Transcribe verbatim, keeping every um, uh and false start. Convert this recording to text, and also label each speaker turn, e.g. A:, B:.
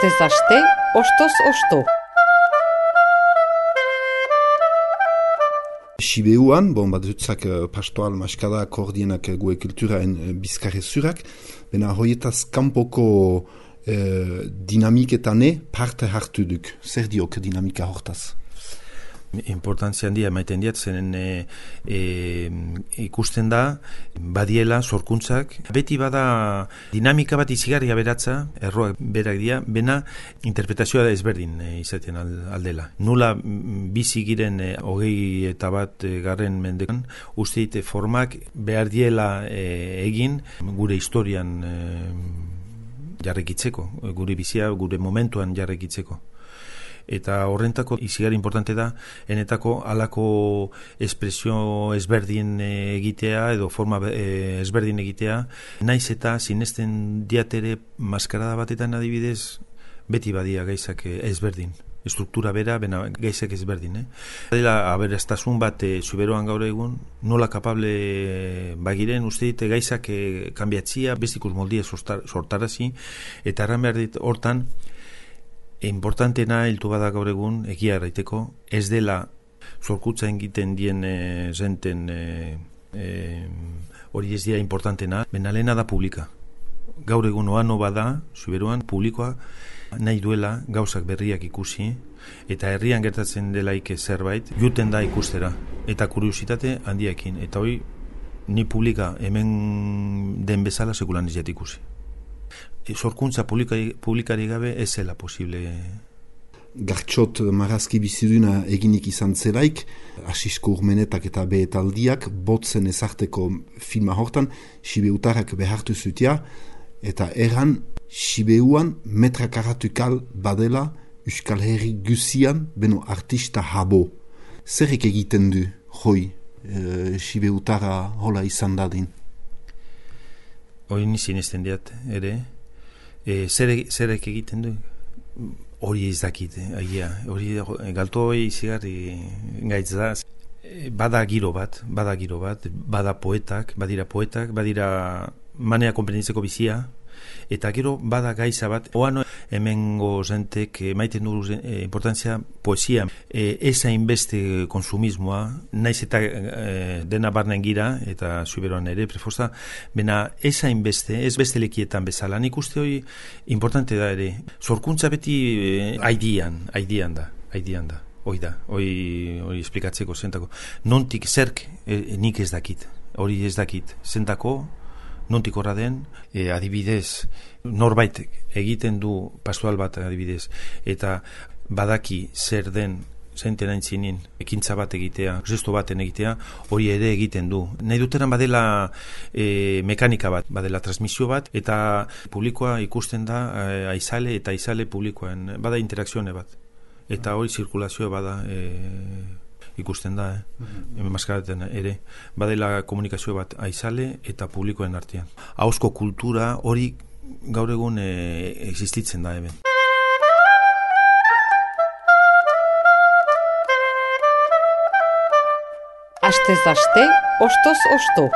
A: Astez aste, ostoz osto.
B: Sibeuan, bon, bat dutzak uh, pastoal maskada koordienak uh, gue kulturaen uh, bizkarre zurak, bena hoietaz kanpoko uh, dinamiketane parte hartu duk. Zer diok dinamika hortaz?
C: Importantzia handia emaiten diat, zenen e, e, ikusten da, badiela, sorkuntzak. Beti bada dinamika bat izigarria beratza, erroak berak dira, bena interpretazioa da ezberdin e, izaten aldela. Nula bizi giren e, hogei eta bat e, garren mendekan, uste dit formak behar diela e, egin gure historian e, jarrekitzeko, gure bizia, gure momentuan jarrekitzeko. Eta horrentako izigarri importante da, enetako halako espresio ezberdin egitea edo forma ezberdin egitea, naiz eta sinesten diatere maskarada batetan adibidez, beti badia gaizak ezberdin. Estruktura bera, bena gaizak ezberdin. Eh? Dela aberastasun bat e, zuberoan gaur egun, nola kapable bagiren, uste dit gaizak e, kanbiatzia, bestikus moldia sortar, sortarazi, eta erran behar dit hortan, importantena hiltu bada gaur egun, egia erraiteko, ez dela zorkutza egiten dien e, zenten e, e, hori ez dira importantena, benalena da publika. Gaur egun oano bada, zuberuan, publikoa nahi duela gauzak berriak ikusi, eta herrian gertatzen delaik zerbait, juten da ikustera, eta kuriositate handiekin, eta hori ni publika hemen den bezala sekulan ez jat ikusi. Sorkuntza publikari, publikari gabe ez zela posible.
B: Gartxot marazki biziduna eginik izan zelaik, asisko urmenetak eta behetaldiak botzen ezarteko filma hortan, Sibeutarrak behartu zutia, eta erran Sibeuan metrakarratukal badela Euskal Herri guzian beno artista habo. Zerrik egiten du, hoi, e, Sibeutarra hola izan dadin?
C: Hoi nizien ezten diat, ere, E, zerek, zerek egiten du? Hori ez dakit, agia. Hori galto hori zigarri gaitz da. E, bada giro bat, bada giro bat, bada poetak, badira poetak, badira manea konprenditzeko bizia, eta gero bada gaiza bat, oano hemengo zentek maiten du e, importantzia poesia. E, ez hainbeste konsumismoa, naiz eta e, dena barnen gira, eta zuberoan ere prefosta, bena ez hainbeste, ez beste lekietan bezala. Nik uste hori importante da ere. Zorkuntza beti e, aidian, aidian da, aidian da. Hoi da, hoi, hoi esplikatzeko zentako. Nontik zerk e, nik ez dakit, hori ez dakit, zentako, nontik horra den, e, adibidez, norbait egiten du pastoral bat adibidez, eta badaki zer den zenten aintzinin, ekintza bat egitea, gesto baten egitea, hori ere egiten du. Nahi duteran badela e, mekanika bat, badela transmisio bat, eta publikoa ikusten da e, aizale eta aizale publikoen, bada interakzione bat. Eta hori zirkulazioa bada e, ikusten da, eh? Mm-hmm. Maskaraten ere, badela komunikazio bat aizale eta publikoen artean. Ahozko kultura hori gaur egun e, existitzen da hemen.
A: Astez aste, ostoz osto.